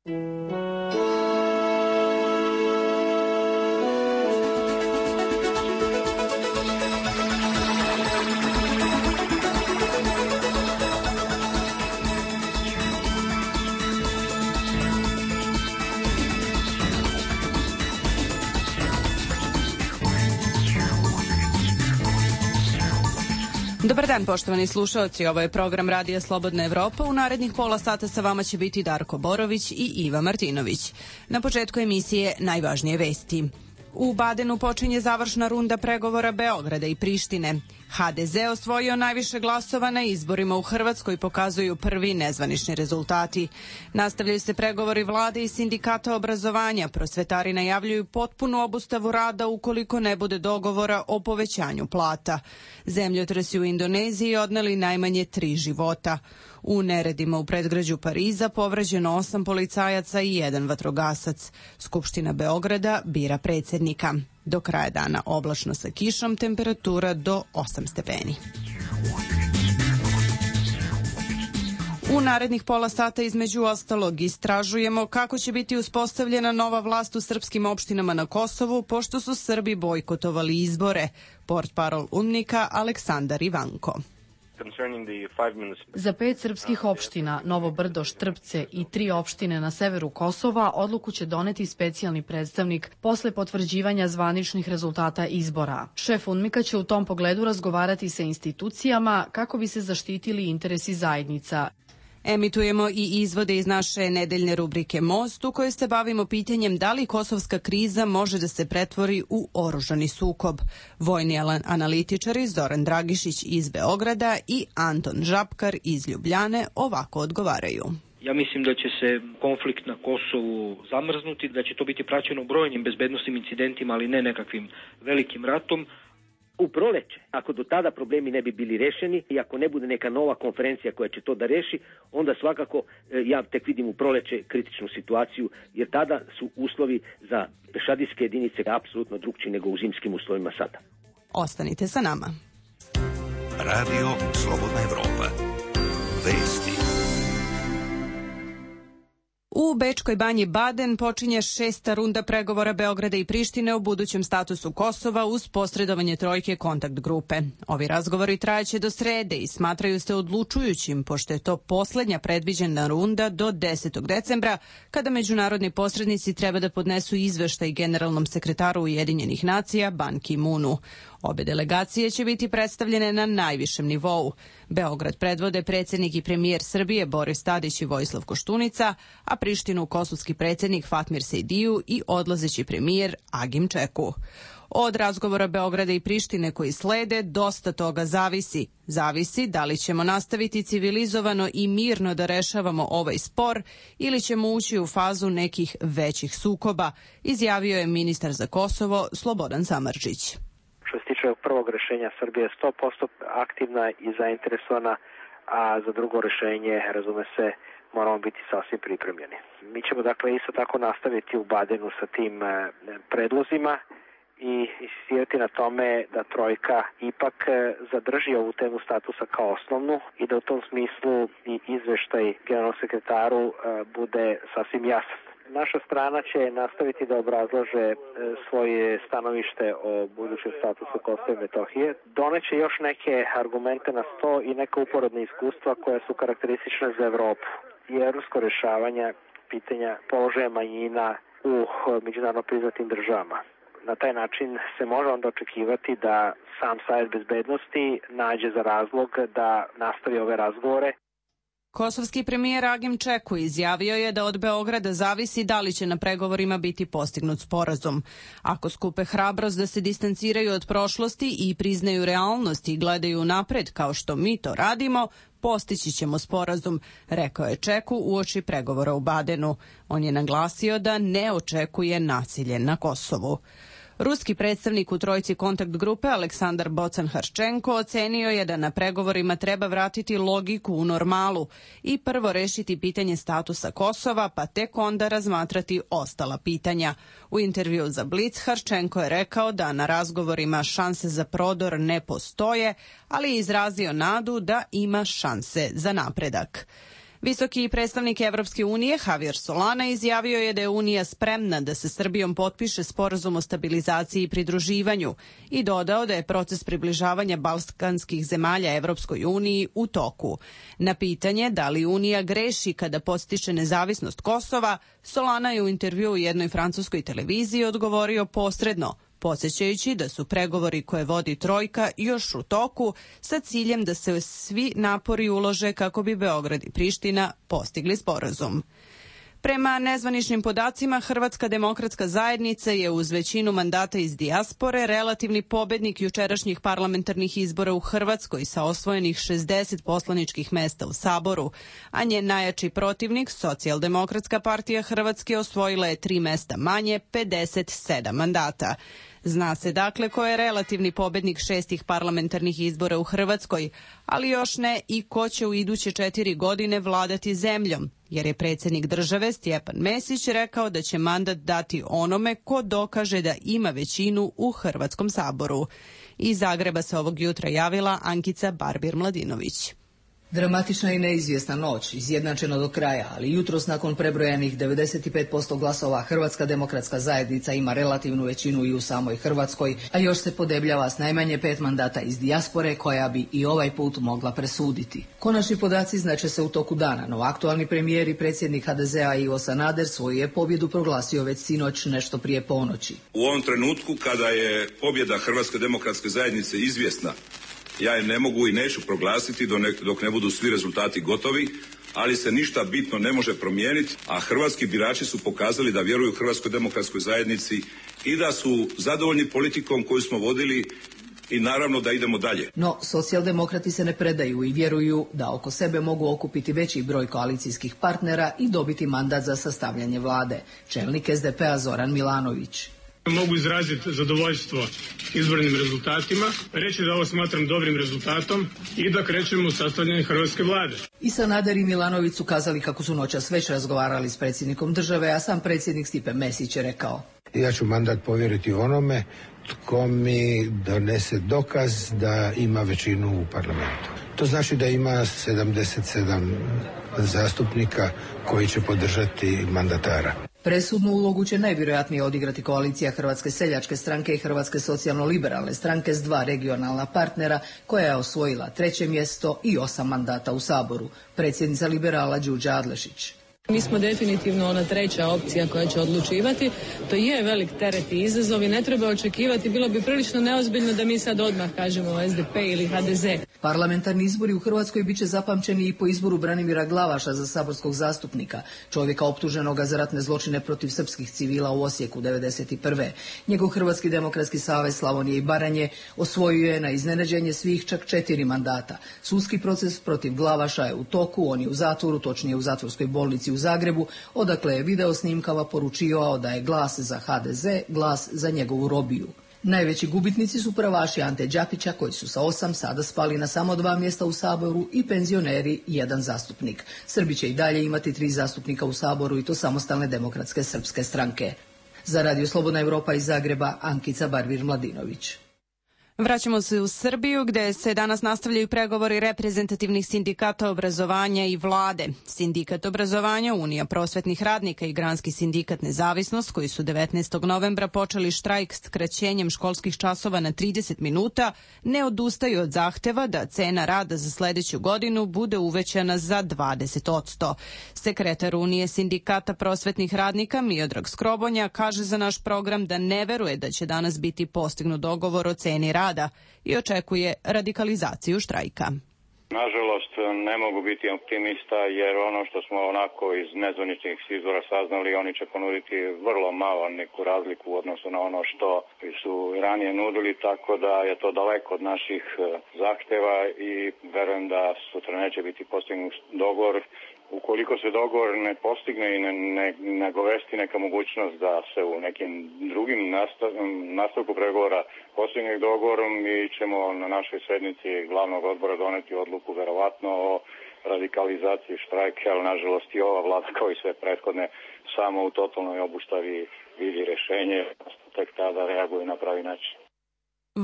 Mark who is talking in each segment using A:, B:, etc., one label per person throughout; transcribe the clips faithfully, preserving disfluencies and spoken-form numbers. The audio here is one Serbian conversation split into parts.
A: Dobar dan, poštovani slušaoci, ovo je program Radija Slobodna Evropa. U narednih pola sata sa vama će biti Darko Borović i Iva Martinović. Na početku emisije najvažnije vesti. U Badenu počinje završna runda pregovora Beograda i Prištine. ha de ze osvojio najviše glasova na izborima u Hrvatskoj, pokazuju prvi nezvanični rezultati. Nastavljaju se pregovori vlade i sindikata obrazovanja. Prosvetari najavljuju potpunu obustavu rada ukoliko ne bude dogovora o povećanju plata. Zemljotresi u Indoneziji odneli najmanje tri života. U neredima u predgrađu Pariza povređeno osam policajaca i jedan vatrogasac. Skupština Beograda bira predsjednika. Do kraja dana oblačno sa kišom, temperatura do osam stepeni. U narednih pola sata između ostalog istražujemo kako će biti uspostavljena nova vlast u srpskim opštinama na Kosovu, pošto su Srbi bojkotovali izbore. Portparol UNMNIK-a Aleksandar Ivanko.
B: Za pet srpskih opština, Novo Brdo, Štrpce i tri opštine na severu Kosova, odluku će doneti specijalni predstavnik posle potvrđivanja zvaničnih rezultata izbora. Šef UNMIK-a će u tom pogledu razgovarati sa institucijama kako bi se zaštitili interesi zajednica.
A: Emitujemo i izvode iz naše nedeljne rubrike Most, u kojoj se bavimo pitanjem da li kosovska kriza može da se pretvori u oružani sukob. Vojni analitičari Zoran Dragišić iz Beograda i Anton Žapkar iz Ljubljane ovako odgovaraju.
C: Ja mislim da će se konflikt na Kosovu zamrznuti, da će to biti praćeno brojnim bezbednosnim incidentima, ali ne nekakvim velikim ratom.
D: U proleće, ako do tada problemi ne bi bili rešeni i ako ne bude neka nova konferencija koja će to da reši, onda svakako ja tek vidim u proleće kritičnu situaciju, jer tada su uslovi za pešadijske jedinice apsolutno drugčiji nego u zimskim uslovima sada.
A: Ostanite sa nama.
E: Radio Slobodna Evropa. Vesti.
A: U Bečkoj banji Baden počinje šesta runda pregovora Beograda i Prištine o budućem statusu Kosova uz posredovanje trojke kontakt grupe. Ovi razgovori trajaće do srede i smatraju se odlučujućim, pošto je to poslednja predviđena runda do desetog decembra, kada međunarodni posrednici treba da podnesu izveštaj generalnom sekretaru Ujedinjenih nacija Ban Ki-moonu. Obe delegacije će biti predstavljene na najvišem nivou. Beograd predvode predsjednik i premijer Srbije Boris Tadić i Vojislav Koštunica, a Prištinu kosovski predsjednik Fatmir Sejdiju i odlazeći premijer Agim Čeku. Od razgovora Beograda i Prištine koji slede dosta toga zavisi. Zavisi da li ćemo nastaviti civilizovano i mirno da rešavamo ovaj spor ili ćemo ući u fazu nekih većih sukoba, izjavio je ministar za Kosovo Slobodan Samardžić.
F: Što se tiče prvog rešenja, Srbija je sto posto aktivna i zainteresovana, a za drugo rešenje, razume se, moramo biti sasvim pripremljeni. Mi ćemo dakle isto tako nastaviti u Badenu sa tim predlozima i insistirati na tome da trojka ipak zadrži ovu temu statusa kao osnovnu i da u tom smislu i izveštaj generalnom sekretaru bude sasvim jasan. Naša strana će nastaviti da obrazlaže svoje stanovište o budućem statusu Kosova i Metohije. Doneće još neke argumente na sto i neka uporedna iskustva koja su karakteristična za Evropu i evropsko rešavanje pitanja položaja manjina u međunarodno priznatim državama. Na taj način se može onda očekivati da sam Savet bezbednosti nađe za razlog da nastavi ove razgovore.
A: Kosovski premijer Agim Čeku izjavio je da od Beograda zavisi da li će na pregovorima biti postignut sporazum. Ako skupe hrabrost da se distanciraju od prošlosti i priznaju realnost i gledaju napred kao što mi to radimo, postići ćemo sporazum, rekao je Čeku uoči pregovora u Badenu. On je naglasio da ne očekuje nasilje na Kosovu. Ruski predstavnik u trojci kontakt grupe Aleksandar Bocan-Harčenko ocenio je da na pregovorima treba vratiti logiku u normalu i prvo rešiti pitanje statusa Kosova, pa tek onda razmatrati ostala pitanja. U intervju za Blic Harčenko je rekao da na razgovorima šanse za prodor ne postoje, ali je izrazio nadu da ima šanse za napredak. Visoki predstavnik Evropske unije Javier Solana izjavio je da je Unija spremna da se Srbijom potpiše sporazum o stabilizaciji i pridruživanju i dodao da je proces približavanja balkanskih zemalja Evropskoj uniji u toku. Na pitanje da li Unija greši kada podstiče nezavisnost Kosova, Solana je u intervjuu u jednoj francuskoj televiziji odgovorio posredno, podsjećajući da su pregovori koje vodi Trojka još u toku sa ciljem da se svi napori ulože kako bi Beograd i Priština postigli sporazum. Prema nezvaničnim podacima, Hrvatska demokratska zajednica je uz većinu mandata iz dijaspore relativni pobednik jučerašnjih parlamentarnih izbora u Hrvatskoj sa osvojenih šezdeset poslaničkih mesta u Saboru, a njen najjači protivnik, Socijaldemokratska partija Hrvatske, osvojila je tri mesta manje, pedeset sedam mandata. Zna se dakle ko je relativni pobednik šestih parlamentarnih izbora u Hrvatskoj, ali još ne i ko će u iduće četiri godine vladati zemljom, jer je predsjednik države Stjepan Mesić rekao da će mandat dati onome ko dokaže da ima većinu u Hrvatskom saboru. Iz Zagreba se ovog jutra javila Ankica Barbir-Mladinović.
G: Dramatična i neizvjesna noć, izjednačena do kraja, ali jutros nakon prebrojanih devedeset pet posto glasova Hrvatska demokratska zajednica ima relativnu većinu i u samoj Hrvatskoj, a još se podebljava s najmanje pet mandata iz dijaspore koja bi i ovaj put mogla presuditi. Konačni podaci znače se u toku dana, no aktualni premijer i predsjednik ha de zea Ivo Sanader svoju je pobjedu proglasio već sinoć nešto prije ponoći.
H: U ovom trenutku kada je pobjeda Hrvatske demokratske zajednice izvjesna, ja je ne mogu i neću proglasiti dok ne budu svi rezultati gotovi, ali se ništa bitno ne može promijeniti, a hrvatski birači su pokazali da vjeruju Hrvatskoj demokratskoj zajednici i da su zadovoljni politikom koju smo vodili i naravno da idemo dalje.
G: No, socijaldemokrati se ne predaju i vjeruju da oko sebe mogu okupiti veći broj koalicijskih partnera i dobiti mandat za sastavljanje vlade. Čelnik es de pe a Zoran Milanović.
I: Mogu izraziti zadovoljstvo izbornim rezultatima, reći da ovo smatram dobrim rezultatom i da krećemo u sastavljanje hrvatske vlade.
G: I Sanader i Milanović su kazali kako su noćas već razgovarali s predsjednikom države, a sam predsjednik Stipe Mesić je rekao:
J: Ja ću mandat povjeriti onome tko mi donese dokaz da ima većinu u parlamentu. To znači da ima sedamdeset sedam zastupnika koji će podržati mandatara.
G: Presudnu ulogu će najvjerojatnije odigrati koalicija Hrvatske seljačke stranke i Hrvatske socijalno-liberalne stranke s dva regionalna partnera koja je osvojila treće mjesto i osam mandata u Saboru. Predsjednica liberala Đurđa Adlešić.
K: Mi smo definitivno ona treća opcija koja će odlučivati. To je velik teret i izazov i ne treba očekivati, bilo bi prilično neozbiljno da mi sad odmah kažemo es de pe ili ha de ze.
G: Parlamentarni izbori u Hrvatskoj bit će zapamćeni i po izboru Branimira Glavaša za saborskog zastupnika, čovjeka optuženoga za ratne zločine protiv srpskih civila u Osijeku devedeset prve. Njegov Hrvatski demokratski savez Slavonije i Baranje osvojio je na iznenađenje svih čak četiri mandata. Sudski proces protiv Glavaša je u toku, on je u zatvoru, točnije u zatvorskoj bolnici u Zagrebu, odakle je video snimkama poručivao da je glas za ha de ze glas za njegovu robiju. Najveći gubitnici su pravaši Ante Đapića koji su sa osam sada spali na samo dva mjesta u Saboru i penzioneri jedan zastupnik. Srbi će i dalje imati tri zastupnika u Saboru i to Samostalne demokratske srpske stranke. Za Radio Slobodna Evropa iz Zagreba, Ankica Barbir-Mladinović.
A: Vraćamo se u Srbiju gde se danas nastavljaju pregovori reprezentativnih sindikata obrazovanja i vlade. Sindikat obrazovanja, Unija prosvetnih radnika i Granski sindikat Nezavisnost, koji su devetnaestog novembra počeli štrajk s skraćenjem školskih časova na trideset minuta, ne odustaju od zahteva da cena rada za sledeću godinu bude uvećana za dvadeset posto. Sekretar Unije sindikata prosvetnih radnika Miodrag Skrobonja kaže za naš program da ne veruje da će danas biti postignut dogovor o ceni rada i očekuje radikalizaciju štrajka.
L: Nažalost, ne mogu biti optimista jer ono što smo onako iz nezvaničnih izvora saznali, oni će ponuditi vrlo malo neku razliku u odnosu na ono što su ranije nudili, tako da je to daleko od naših zahteva i verujem da sutra neće biti postignut dogovor. Ukoliko se dogovor ne postigne i ne, ne nagovesti neka mogućnost da se u nekim drugim nastav, nastavku pregovora postigne dogovorom, mi ćemo na našoj sednici glavnog odbora doneti odluku verovatno o radikalizaciji štrajka, ali nažalost i ova vlada kao i sve prethodne samo u totalnoj obustavi vidi rješenje, tek tada reaguju na pravi način.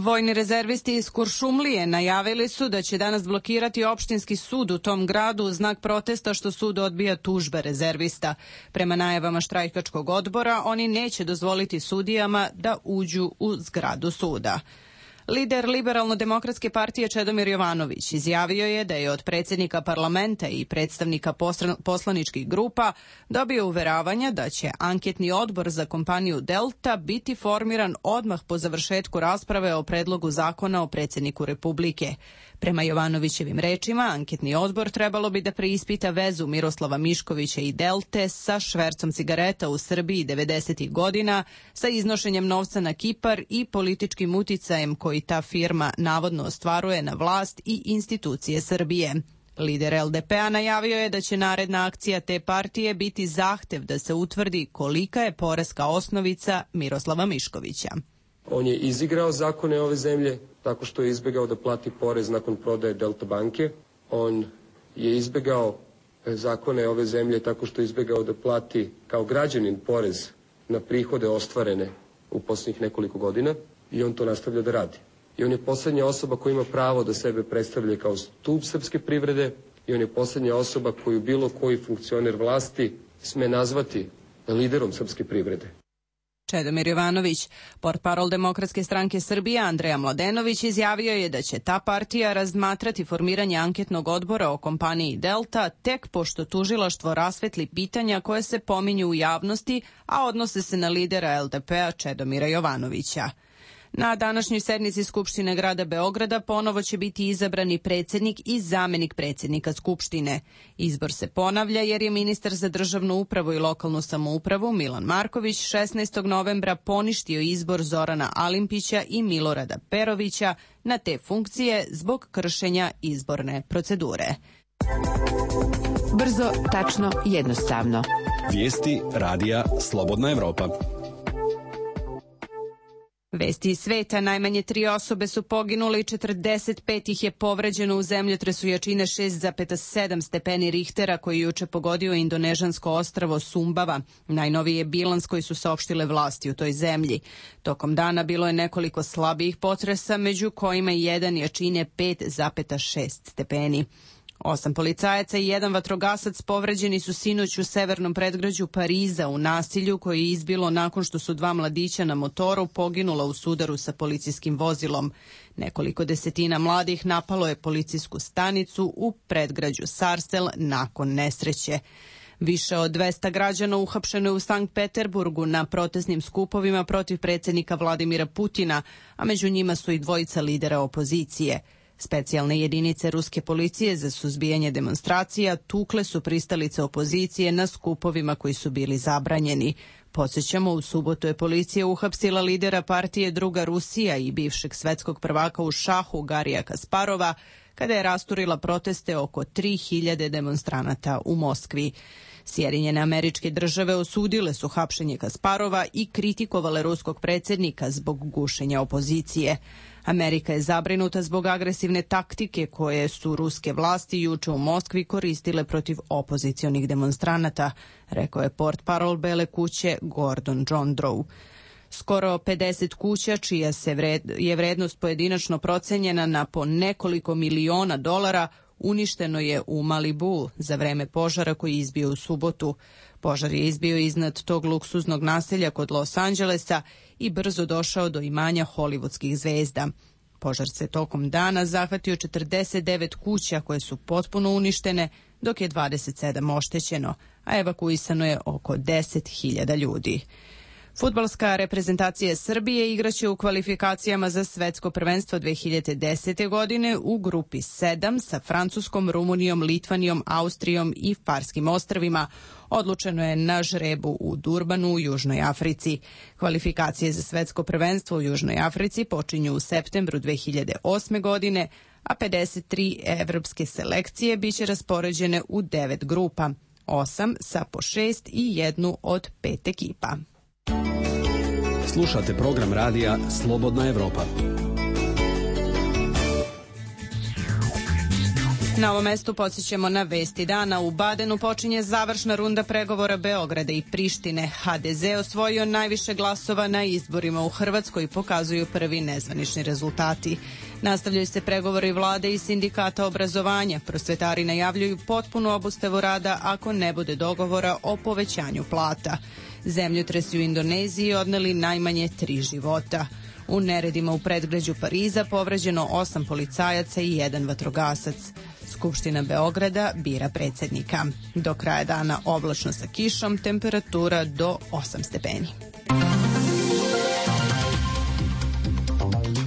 A: Vojni rezervisti iz Kuršumlije najavili su da će danas blokirati opštinski sud u tom gradu u znak protesta što sud odbija tužbe rezervista. Prema najavama štrajkačkog odbora, oni neće dozvoliti sudijama da uđu u zgradu suda. Lider Liberalno-demokratske partije Čedomir Jovanović izjavio je da je od predsjednika parlamenta i predstavnika poslaničkih grupa dobio uveravanja da će anketni odbor za kompaniju Delta biti formiran odmah po završetku rasprave o predlogu zakona o predsjedniku Republike. Prema Jovanovićevim rečima, anketni odbor trebalo bi da preispita vezu Miroslava Miškovića i Delte sa švercom cigareta u Srbiji devedesetih godina, sa iznošenjem novca na Kipar i političkim uticajem koji ta firma navodno ostvaruje na vlast i institucije Srbije. Lider L D P-a najavio je da će naredna akcija te partije biti zahtev da se utvrdi kolika je poreska osnovica Miroslava Miškovića.
M: On je izigrao zakone ove zemlje tako što je izbjegao da plati porez nakon prodaje Delta banke. On je izbjegao zakone ove zemlje tako što je izbjegao da plati kao građanin porez na prihode ostvarene u posljednjih nekoliko godina i on to nastavlja da radi. I on je posljednja osoba koja ima pravo da sebe predstavlja kao stub srpske privrede i on je posljednja osoba koju bilo koji funkcioner vlasti sme nazvati liderom srpske privrede.
A: Čedomir Jovanović, portparol Demokratske stranke Srbije Andreja Mladenović, izjavio je da će ta partija razmatrati formiranje anketnog odbora o kompaniji Delta tek pošto tužilaštvo rasvetli pitanja koje se pominju u javnosti, a odnose se na lidera L D P-a Čedomira Jovanovića. Na današnjoj sednici Skupštine grada Beograda ponovo će biti izabrani predsjednik i zamenik predsjednika Skupštine. Izbor se ponavlja jer je ministar za državnu upravu i lokalnu samoupravu Milan Marković šesnaestog novembra poništio izbor Zorana Alimpića i Milorada Perovića na te funkcije zbog kršenja izborne procedure.
N: Brzo, tačno, jednostavno.
O: Vijesti radija Slobodna Evropa.
A: Vesti iz sveta, najmanje tri osobe su poginule i četrdeset pet ih je povređeno u zemljotresu jačine šest zarez sedam stepeni Richtera koji juče pogodio indonežansko ostrvo Sumbava. Najnoviji je bilans koji su saopštile vlasti u toj zemlji. Tokom dana bilo je nekoliko slabijih potresa, među kojima je jedan jačine pet zarez šest stepeni. Osam policajaca i jedan vatrogasac povređeni su sinoć u severnom predgrađu Pariza u nasilju koje je izbilo nakon što su dva mladića na motoru poginula u sudaru sa policijskim vozilom. Nekoliko desetina mladih napalo je policijsku stanicu u predgrađu Sarsel nakon nesreće. Više od dvesta građana uhapšeno je u Sankt Peterburgu na protestnim skupovima protiv predsjednika Vladimira Putina, a među njima su i dvojica lidera opozicije. Specijalne jedinice ruske policije za suzbijanje demonstracija tukle su pristalice opozicije na skupovima koji su bili zabranjeni. Podsjećamo, u subotu je policija uhapsila lidera partije Druga Rusija i bivšeg svetskog prvaka u šahu Garija Kasparova kada je rasturila proteste oko tri hiljade demonstranata u Moskvi. Sjedinjene Američke Države osudile su hapšenje Kasparova i kritikovale ruskog predsjednika zbog gušenja opozicije. Amerika je zabrinuta zbog agresivne taktike koje su ruske vlasti juče u Moskvi koristile protiv opozicionih demonstranata, rekao je portparol Bele kuće Gordon John Drow. Skoro pedeset kuća, čija se vred, je vrednost pojedinačno procenjena na po nekoliko miliona dolara, uništeno je u Malibu za vreme požara koji je izbio u subotu. Požar je izbio iznad tog luksuznog naselja kod Los Angelesa i brzo došao do imanja hollywoodskih zvezda. Požar se tokom dana zahvatio četrdeset devet kuća koje su potpuno uništene, dok je dvadeset sedam oštećeno, a evakuisano je oko deset hiljada ljudi. Fudbalska reprezentacija Srbije igraće u kvalifikacijama za svetsko prvenstvo dve hiljade desete. godine u grupi sedam sa Francuskom, Rumunijom, Litvanijom, Austrijom i Farskim ostrvima. Odlučeno je na žrebu u Durbanu u Južnoj Africi. Kvalifikacije za svetsko prvenstvo u Južnoj Africi počinju u septembru dve hiljade osme. godine, a pedeset tri evropske selekcije biće raspoređene u devet grupa, osam sa po šest i jednu od pet ekipa.
O: Slušate program radija Slobodna Evropa.
A: Na ovom mestu podsjećamo na vesti dana. U Badenu počinje završna runda pregovora Beograda i Prištine. ha de ze osvojio najviše glasova na izborima u Hrvatskoj i pokazuju prvi nezvanični rezultati. Nastavljaju se pregovori vlade i sindikata obrazovanja. Prosvetari najavljuju potpunu obustavu rada ako ne bude dogovora o povećanju plata. Zemljotresi u Indoneziji odneli najmanje tri života. U neredima u predgrađu Pariza povređeno osam policajaca i jedan vatrogasac. Skupština Beograda bira predsjednika. Do kraja dana oblačno sa kišom, temperatura do osam stepeni.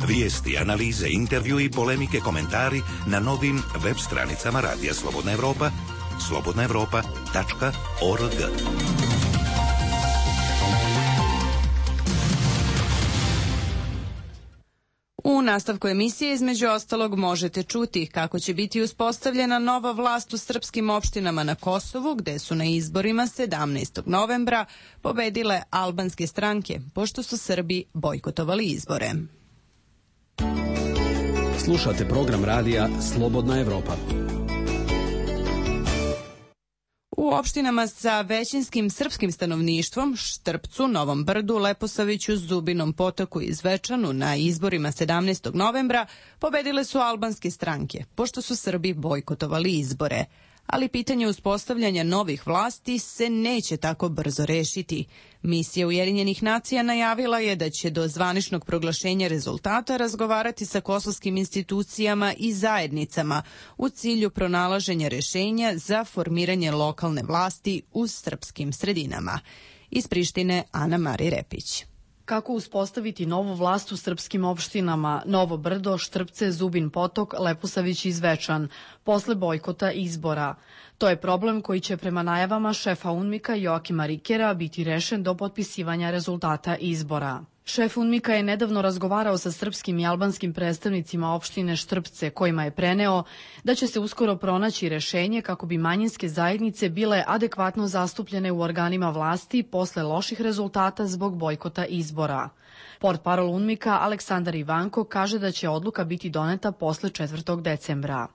E: Vijesti, analize, intervju i polemike, komentari na novim web stranicama Radija Slobodna Evropa, slobodna evropa tačka org.
A: U nastavku emisije između ostalog možete čuti kako će biti uspostavljena nova vlast u srpskim opštinama na Kosovu, gde su na izborima sedamnaestog novembra pobedile albanske stranke, pošto su Srbi bojkotovali izbore.
O: Slušate program radija Slobodna Evropa.
A: U opštinama sa većinskim srpskim stanovništvom, Štrpcu, Novom Brdu, Leposaviću, Zubinom Potoku i Zvečanu na izborima sedamnaestog novembra pobedile su albanske stranke, pošto su Srbi bojkotovali izbore. Ali pitanje uspostavljanja novih vlasti se neće tako brzo rešiti. Misija Ujedinjenih nacija najavila je da će do zvaničnog proglašenja rezultata razgovarati sa kosovskim institucijama i zajednicama u cilju pronalaženja rešenja za formiranje lokalne vlasti u srpskim sredinama. Iz Prištine, Ana Mari Repić.
B: Kako uspostaviti novu vlast u srpskim opštinama Novo Brdo, Štrpce, Zubin Potok, Leposavić i Zvečan, posle bojkota izbora? To je problem koji će prema najavama šefa UNMIK-a Joakima Rikera biti rešen do potpisivanja rezultata izbora. Šef UNMIK-a je nedavno razgovarao sa srpskim i albanskim predstavnicima opštine Štrpce, kojima je preneo da će se uskoro pronaći rešenje kako bi manjinske zajednice bile adekvatno zastupljene u organima vlasti posle loših rezultata zbog bojkota izbora. Portparol UNMIK-a Aleksandar Ivanko kaže da će odluka biti doneta posle četvrtog decembra.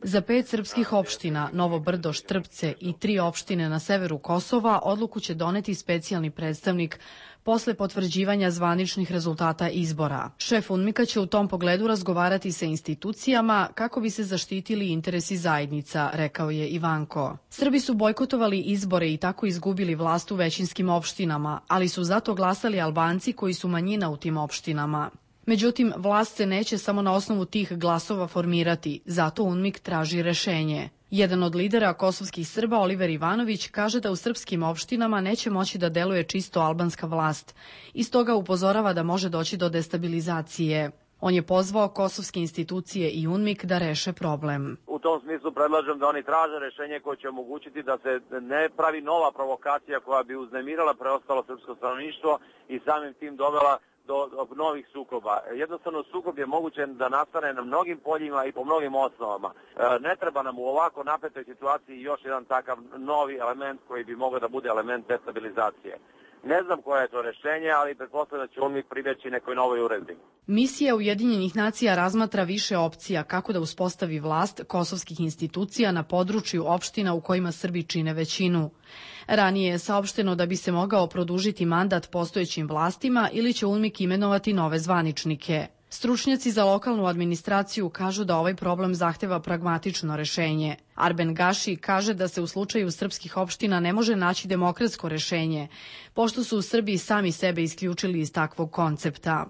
B: Za pet srpskih opština, Novo Brdo, Štrpce i tri opštine na severu Kosova, odluku će doneti specijalni predstavnik posle potvrđivanja zvaničnih rezultata izbora. Šef UNMIK-a će u tom pogledu razgovarati sa institucijama kako bi se zaštitili interesi zajednica, rekao je Ivanko. Srbi su bojkotovali izbore i tako izgubili vlast u većinskim opštinama, ali su zato glasali Albanci koji su manjina u tim opštinama. Međutim, vlast se neće samo na osnovu tih glasova formirati, zato UNMIK traži rešenje. Jedan od lidera kosovskih Srba, Oliver Ivanović, kaže da u srpskim opštinama neće moći da deluje čisto albanska vlast i stoga upozorava da može doći do destabilizacije. On je pozvao kosovske institucije i UNMIK da reše problem.
P: U tom smislu predlažem da oni traže rešenje koje će omogućiti da se ne pravi nova provokacija koja bi uznemirala preostalo srpsko stanovništvo i samim tim dovela do novih sukoba. Jednostavno sukob je moguće da nastane na mnogim poljima i po mnogim osnovama. Ne treba nam u ovako napetoj situaciji još jedan takav novi element koji bi mogao da bude element destabilizacije. Ne znam koje je to rešenje, ali pretpostavljam da će on mi pribjeći nekoj novoj uredbi.
B: Misija Ujedinjenih nacija razmatra više opcija kako da uspostavi vlast kosovskih institucija na području opština u kojima Srbi čine većinu. Ranije je saopšteno da bi se mogao produžiti mandat postojećim vlastima ili će UNMIK imenovati nove zvaničnike. Stručnjaci za lokalnu administraciju kažu da ovaj problem zahteva pragmatično rešenje. Arben Gaši kaže da se u slučaju srpskih opština ne može naći demokratsko rešenje, pošto su u Srbiji sami sebe isključili iz takvog koncepta.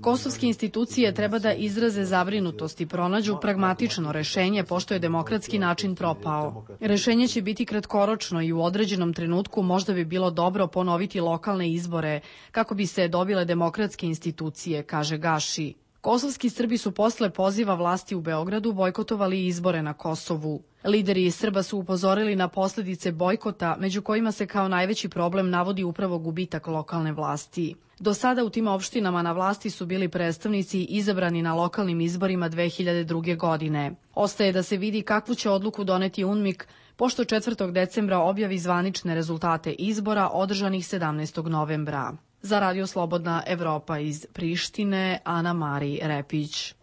B: Kosovske institucije treba da izraze zabrinutost i pronađu pragmatično rešenje, pošto je demokratski način propao. Rešenje će biti kratkoročno i u određenom trenutku možda bi bilo dobro ponoviti lokalne izbore kako bi se dobile demokratske institucije, kaže Gaši. Kosovski Srbi su posle poziva vlasti u Beogradu bojkotovali izbore na Kosovu. Lideri Srba su upozorili na posljedice bojkota, među kojima se kao najveći problem navodi upravo gubitak lokalne vlasti. Do sada u tim opštinama na vlasti su bili predstavnici izabrani na lokalnim izborima dve hiljade druge. godine. Ostaje da se vidi kakvu će odluku doneti UNMIK, pošto četvrtog decembra objavi zvanične rezultate izbora održanih sedamnaestog novembra. Za Radio Slobodna Evropa iz Prištine, Ana Mari Repić.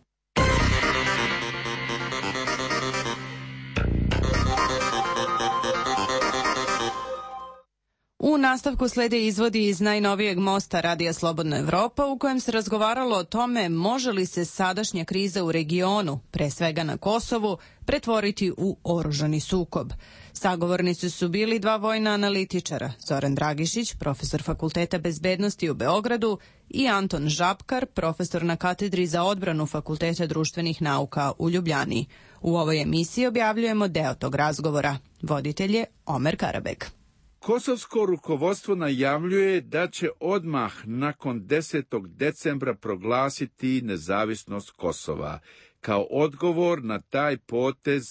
A: U nastavku slede izvodi iz najnovijeg mosta Radija Slobodna Evropa u kojem se razgovaralo o tome može li se sadašnja kriza u regionu, pre svega na Kosovu, pretvoriti u oružani sukob. Sagovornici su bili dva vojna analitičara, Zoran Dragišić, profesor Fakulteta bezbednosti u Beogradu, i Anton Žabkar, profesor na katedri za odbranu Fakulteta društvenih nauka u Ljubljani. U ovoj emisiji objavljujemo deo tog razgovora. Voditelj je Omer Karabek.
Q: Kosovsko rukovodstvo najavljuje da će odmah nakon desetog decembra proglasiti nezavisnost Kosova. Kao odgovor na taj potez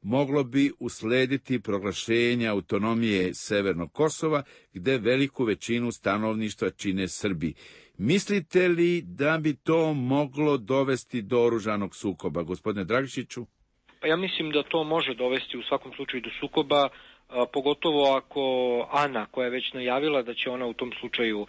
Q: moglo bi uslediti proglašenje autonomije Severnog Kosova, gde veliku većinu stanovništva čine Srbi. Mislite li da bi to moglo dovesti do oružanog sukoba, gospodine Dragišiću?
C: Pa ja mislim da to može dovesti u svakom slučaju do sukoba, pogotovo ako Ana, koja je već najavila da će ona u tom slučaju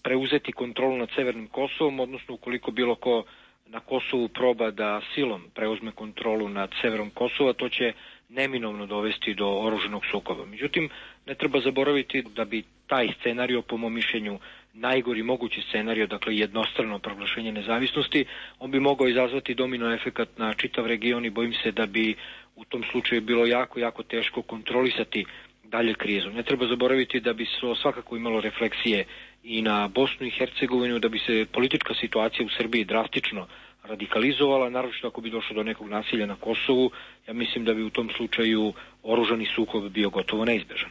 C: preuzeti kontrolu nad Severnim Kosovom, odnosno ukoliko bilo ko na Kosovu proba da silom preuzme kontrolu nad severom Kosova, to će neminovno dovesti do oružanog sukoba. Međutim, ne treba zaboraviti da bi taj scenario, po mom mišljenju, najgori mogući scenario, dakle jednostrano proglašenje nezavisnosti, on bi mogao izazvati domino efekat na čitav region i bojim se da bi u tom slučaju bilo jako, jako teško kontrolisati dalje krizu. Ne treba zaboraviti da bi se svakako imalo refleksije i na Bosnu i Hercegovinu, da bi se politička situacija u Srbiji drastično radikalizovala, naročito ako bi došlo do nekog nasilja na Kosovu. Ja mislim da bi u tom slučaju oružani sukob bio gotovo neizbežan.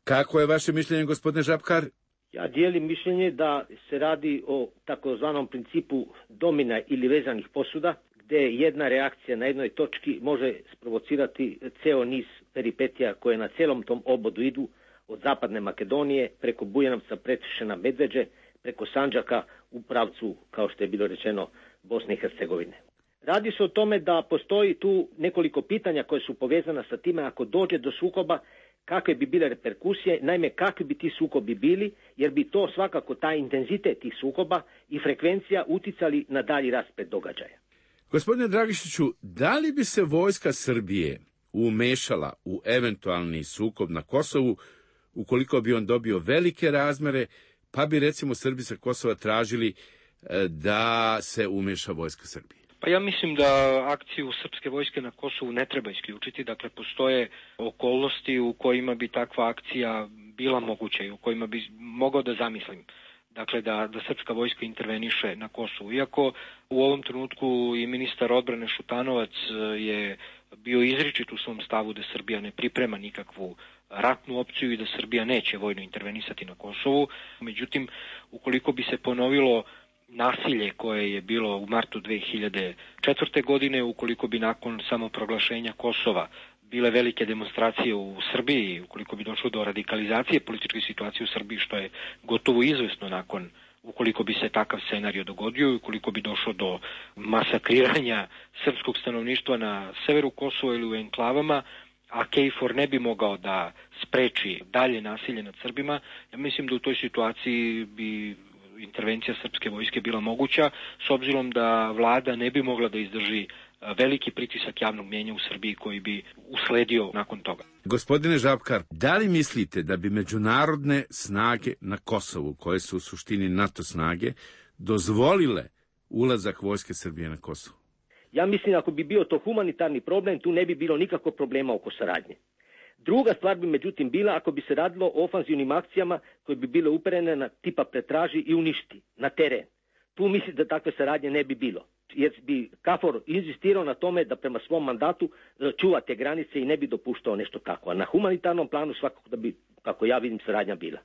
Q: Kako je vaše mišljenje, gospodine Žabkar?
D: Ja dijelim mišljenje da se radi o takozvanom principu domina ili vezanih posuda, gde jedna reakcija na jednoj točki može sprovocirati ceo niz peripetija koje na celom tom obodu idu, od zapadne Makedonije, preko Bujanovca, Pretišena, Medveđe, preko Sandžaka u pravcu, kao što je bilo rečeno, Bosne i Hercegovine. Radi se o tome da postoji tu nekoliko pitanja koje su povezana sa time ako dođe do sukoba, kakve bi bile reperkusije, naime kakvi bi ti sukobi bili, jer bi to svakako taj intenzitet tih sukoba i frekvencija uticali na dalji rasplet događaja.
Q: Gospodine Dragišiću, da li bi se vojska Srbije umešala u eventualni sukob na Kosovu ukoliko bi on dobio velike razmere, pa bi recimo Srbi sa Kosova tražili da se umeša vojska Srbije?
C: Pa ja mislim da akciju srpske vojske na Kosovu ne treba isključiti, dakle postoje okolnosti u kojima bi takva akcija bila moguća i u kojima bi mogao da zamislim. Dakle, da, da srpska vojska interveniše na Kosovu. Iako u ovom trenutku i ministar odbrane Šutanovac je bio izričit u svom stavu da Srbija ne priprema nikakvu ratnu opciju i da Srbija neće vojno intervenisati na Kosovu. Međutim, ukoliko bi se ponovilo nasilje koje je bilo u martu dve hiljade četvrte. godine, ukoliko bi nakon samoproglašenja Kosova bile velike demonstracije u Srbiji, ukoliko bi došlo do radikalizacije političke situacije u Srbiji, što je gotovo izvesno nakon, ukoliko bi se takav scenario dogodio, ukoliko bi došlo do masakriranja srpskog stanovništva na severu Kosova ili u enklavama, a KFOR ne bi mogao da spreči dalje nasilje nad Srbima, ja mislim da u toj situaciji bi intervencija srpske vojske bila moguća, s obzirom da vlada ne bi mogla da izdrži veliki pritisak javnog mnijenja u Srbiji koji bi usledio nakon toga.
Q: Gospodine Žabkar, da li mislite da bi međunarodne snage na Kosovu, koje su u suštini NATO snage, dozvolile ulazak vojske Srbije na Kosovo?
D: Ja mislim ako bi bio to humanitarni problem, tu ne bi bilo nikakvog problema oko saradnje. Druga stvar bi međutim bila ako bi se radilo o ofanzivnim akcijama koje bi bile uperene na tipa pretraži i uništi na teren. Tu mislim da takve saradnje ne bi bilo, jer bi KFOR inzistirao na tome da prema svom mandatu čuva te granice i ne bi dopuštao nešto tako. A na humanitarnom planu svakako da bi, kako ja vidim, saradnja bila.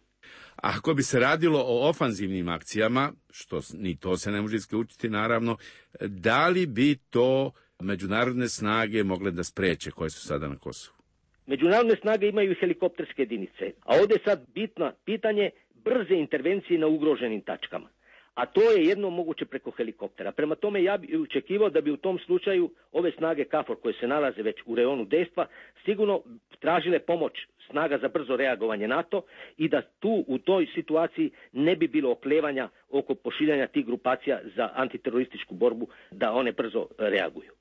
Q: A ako bi se radilo o ofanzivnim akcijama, što ni to se ne može isključiti naravno, da li bi to međunarodne snage mogle da spreče koje su sada na Kosovu?
D: Međunarodne snage imaju helikopterske jedinice, a ovdje je sad bitno pitanje brze intervencije na ugroženim tačkama. a to je jedno moguće preko helikoptera. Prema tome ja bih očekivao da bi u tom slučaju ove snage KFOR koje se nalaze već u reonu dejstva sigurno tražile pomoć snaga za brzo reagovanje NATO i da tu u toj situaciji ne bi bilo oklevanja oko pošiljanja tih grupacija za antiterorističku borbu, da one brzo reaguju.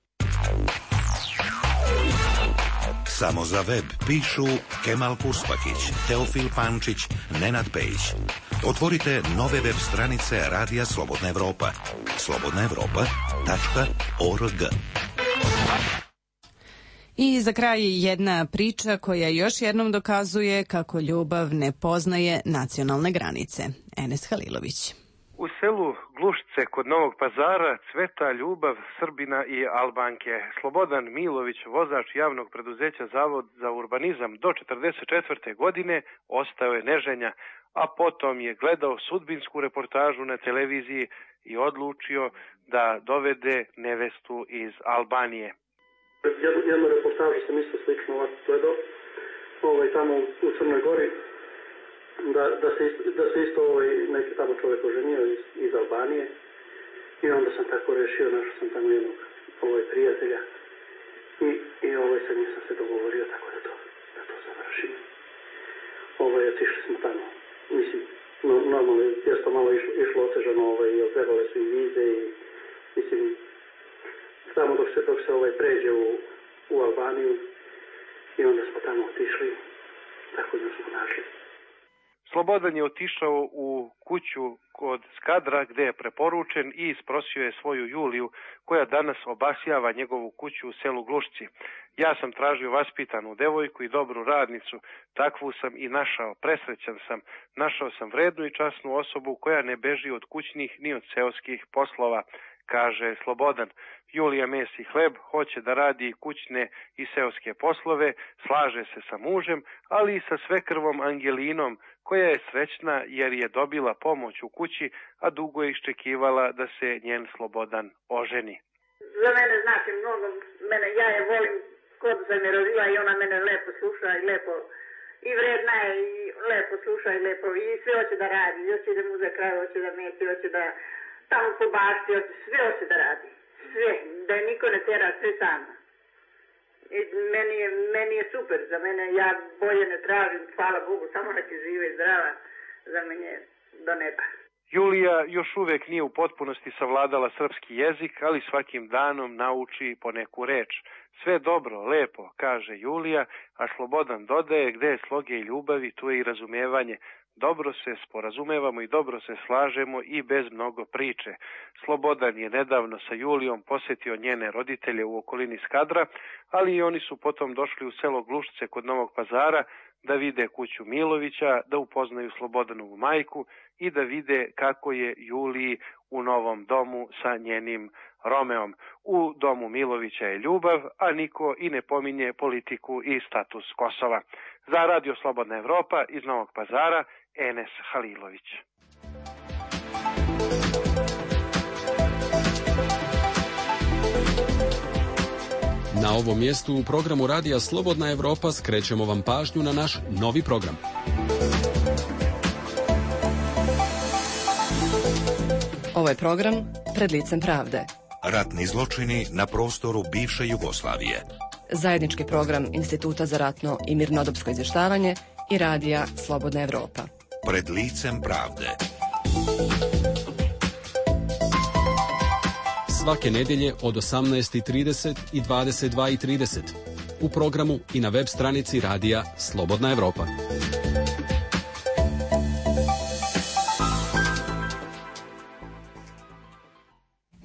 E: Samo za web pišu Kemal Purspakić, Teofil Pančić, Nenad Pejić. Otvorite nove web stranice Radija Slobodna Evropa. slobodna evropa tačka org.
A: I za kraj jedna priča koja još jednom dokazuje kako ljubav ne poznaje nacionalne granice. Enes Halilović.
R: U selu Glušce kod Novog Pazara cveta ljubav Srbina i Albanke. Slobodan Milović, vozač javnog preduzeća Zavod za urbanizam do četrdeset četvrte godine, ostao je neženja, a potom je gledao sudbinsku reportažu na televiziji i odlučio da dovede nevestu iz Albanije.
S: Jednu, jednu reportažu sam isto slično ovako gledao, ovaj, tamo u Crnoj Gori, da, da, se, da se isto ovaj, neki tamo čovjek oženio iz, iz Albanije i onda sam tako rešio, našao sam tamo jednog ovaj, prijatelja i, i ovaj, sa njim sam se dogovorio tako da to, da to završim. Ovaj, otišli smo tamo, mislim, no, normalno je to malo išlo, išlo otežano, ovaj, trebale su i vize i mislim, tamo dok se, dok se ovaj, pređe u, u Albaniju i onda smo tamo otišli, tako da smo našli.
R: Slobodan je otišao u kuću kod Skadra gde je preporučen i isprosio je svoju Juliju koja danas obasjava njegovu kuću u selu Glušci. Ja sam tražio vaspitanu devojku i dobru radnicu, takvu sam i našao, presrećan sam. Našao sam vrednu i časnu osobu koja ne beži od kućnih ni od seoskih poslova, kaže Slobodan. Julija mesi hleb, hoće da radi kućne i seoske poslove, slaže se sa mužem, ali i sa svekrvom Angelinom, koja je srećna jer je dobila pomoć u kući, a dugo je iščekivala da se njen Slobodan oženi.
T: Za mene znači mnogo, mene, ja je volim kod se mi rodila i ona mene lepo sluša i lepo, i vredna je i lepo sluša i lepo, i sve hoće da radi, hoće da muze kraj, hoće da meti, hoće da tamo po bašti, sve hoće da radi, sve, da je niko ne tera, sve sama. I meni je, meni je super, za mene ja bolje ne tražim, hvala Bogu, samo da će žive i zdrava, za mene do neba.
R: Julija još uvek nije u potpunosti savladala srpski jezik, ali svakim danom nauči po neku reč. Sve dobro, lepo, kaže Julija, a Slobodan dodaje gde je sloge i ljubavi, tu je i razumevanje. Dobro se sporazumevamo i dobro se slažemo i bez mnogo priče. Slobodan je nedavno sa Julijom posetio njene roditelje u okolini Skadra, ali i oni su potom došli u selo Glušce kod Novog Pazara da vide kuću Milovića, da upoznaju Slobodanovu majku i da vide kako je Juliji u novom domu sa njenim Romeom. U domu Milovića je ljubav, a niko i ne pominje politiku i status Kosova. Za Radio Slobodna Evropa iz Novog Pazara, Enes Halilović.
O: Na ovom mjestu u programu Radija Slobodna Evropa skrećemo vam pažnju na naš novi program.
U: Ovo je program Pred licem pravde.
E: Ratni zločini na prostoru bivše Jugoslavije.
U: Zajednički program Instituta za ratno i mirnodopsko izvještavanje i Radija Slobodna Evropa.
E: Pred licem pravde.
O: Svake nedjelje od osamnaest i trideset i dvadeset dva i trideset u programu i na web stranici Radija Slobodna Evropa.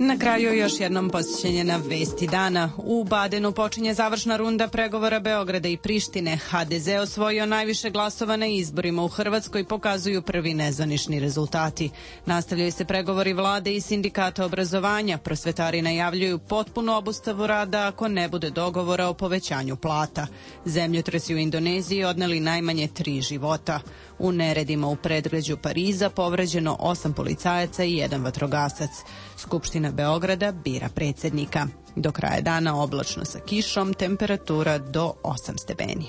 A: Na kraju još jednom posjećenje na vesti dana. U Badenu počinje završna runda pregovora Beograda i Prištine. ha de ze osvojio najviše glasova na izborima u Hrvatskoj, pokazuju prvi nezvanični rezultati. Nastavljaju se pregovori vlade i sindikata obrazovanja. Prosvetari najavljuju potpunu obustavu rada ako ne bude dogovora o povećanju plata. Zemljotresi u Indoneziji odneli najmanje tri života. U neredima u predgrađu Pariza povređeno osam policajaca i jedan vatrogasac. Skupština Beograda bira predsjednika. Do kraja dana oblačno sa kišom, temperatura do osam stepeni.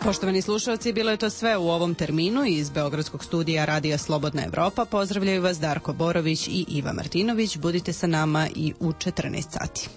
A: Poštovani slušalci, bilo je to sve u ovom terminu. Iz Beogradskog studija Radija Slobodna Evropa pozdravljaju vas Darko Borović i Iva Martinović. Budite sa nama i u četrnaest sati.